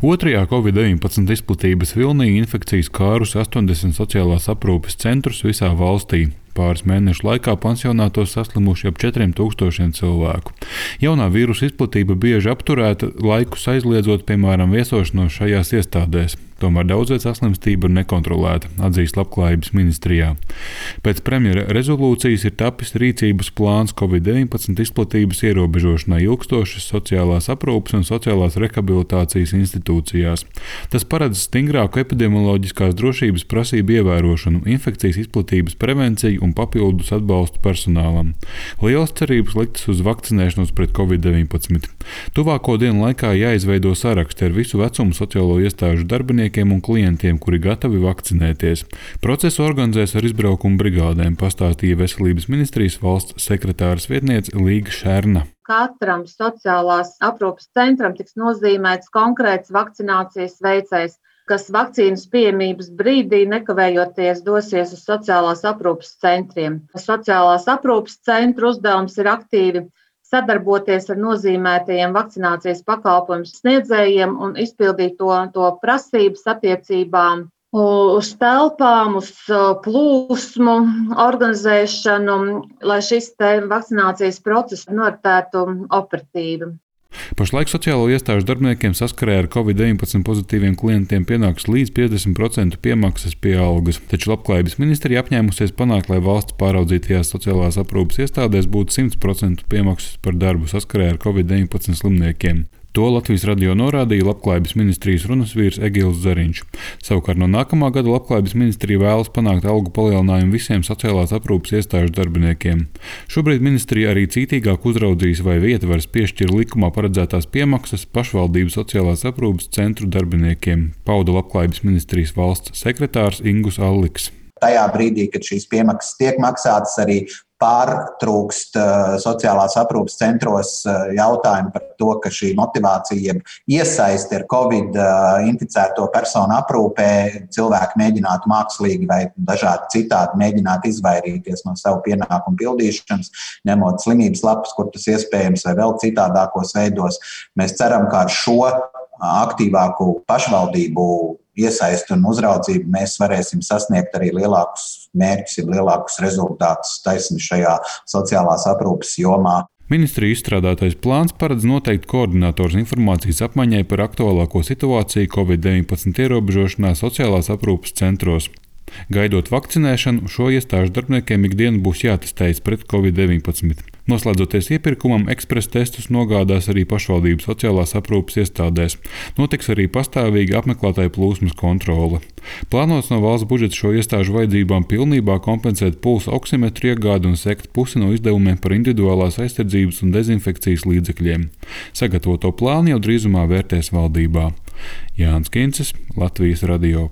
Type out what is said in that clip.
Otrajā Covid-19 izplatības vilnī infekcijas skārusi 80 sociālās aprūpes centrus visā valstī. Pāris mēnešu laikā pansionātos saslimuši ap 4000 cilvēku. Jaunā vīrusa izplatība bieži apturēta, laikus aizliedzot, piemēram, viesošanos šajās iestādēs. Tomēr daudzviet saslimstība ir nekontrolēta, atzīst Labklājības ministrijā. Pēc premjera rezolūcijas ir tapis rīcības plāns Covid-19 izplatības ierobežošanai ilgstošas sociālās aprūpes un sociālās rehabilitācijas institūcijās. Tas paredz stingrāku epidemioloģiskās drošības prasību ievērošanu, infekcijas izplatības prevenciju un papildus atbalstu personālam. Lielas cerības liktas uz vakcinēšanos pret Covid-19. Tuvāko dienu laikā jāizveido saraksti ar visu vecumu sociālo iestāžu darbiniekiem un klientiem, kuri gatavi vakcinēties. Procesu organizēs ar izbraukumu brigādēm, pastāstīja Veselības ministrijas valsts sekretāras vietniece Līga Šerna. Katram sociālās aprūpes centram tiks nozīmēts konkrēts vakcinācijas veicējs, kas vakcīnas pieejamības brīdī nekavējoties dosies uz sociālās aprūpes centriem. Sociālās aprūpes centru uzdevums ir aktīvi sadarboties ar nozīmētajiem vakcinācijas pakalpojumu sniedzējiem un izpildīt to prasības attiecībām uz telpām, uz plūsmu organizēšanu, lai šis vakcinācijas process noritētu operatīvi. Pašlaik sociālo iestāžu darbiniekiem saskarē ar Covid-19 pozitīviem klientiem pienāks līdz 50% piemaksas pie algas, taču Labklājības ministrija apņēmusies panākt, lai valsts pāraudzītajās sociālās aprūpes iestādēs būtu 100% piemaksas par darbu saskarē ar Covid-19 slimniekiem. To Latvijas radio norādīja Labklājības ministrijas runas vīrs Egils Zariņš. Savukārt no nākamā gada Labklājības ministrija vēlas panākt algu palielinājumu visiem sociālās aprūpes iestāžu darbiniekiem. Šobrīd ministrija arī cītīgāk uzraudzīs, vai ietvaras piešķir likumā paredzētās piemaksas pašvaldību sociālās aprūpes centru darbiniekiem, pauda Labklājības ministrijas valsts sekretārs Ingus Alliks. Tajā brīdī, kad šīs piemaksas tiek maksātas, arī pārtrūkst sociālās aprūpes centros jautājumi par to, ka šī motivācija, iesaisti ar Covid inficēto personu aprūpē, cilvēki mēģinātu mākslīgi vai dažādi citādi mēģināt izvairīties no savu pienākumu pildīšanas, ņemot slimības lapas, kur tas iespējams, vai vēl citādākos veidos. Mēs ceram, ka ar šo aktīvāku pašvaldību iesaisti un uzraudzību mēs varēsim sasniegt arī lielākus mērķus, lielākus rezultātus taisni šajā sociālās aprūpes jomā. Ministrija izstrādātais plāns paredz noteikt koordinātors informācijas apmaiņai par aktuālāko situāciju Covid-19 ierobežošanā sociālās aprūpes centros. Gaidot vakcinēšanu, šo iestāžu darbiniekiem ikdienu būs jātestējas pret Covid-19. Noslēdzoties iepirkumam, ekspresa testus nogādās arī pašvaldību sociālās aprūpes iestādēs. Notiks arī pastāvīga apmeklētāju plūsmas kontrole. Plānots no valsts budžeta šo iestāžu vajadzībām pilnībā kompensēt pulsa oksimetru iegādi un sekt pusi no izdevumiem par individuālās aizsardzības un dezinfekcijas līdzekļiem. Sagatavoto plānu jau drīzumā vērtēs valdībā. Jānis Kincis, Latvijas radio.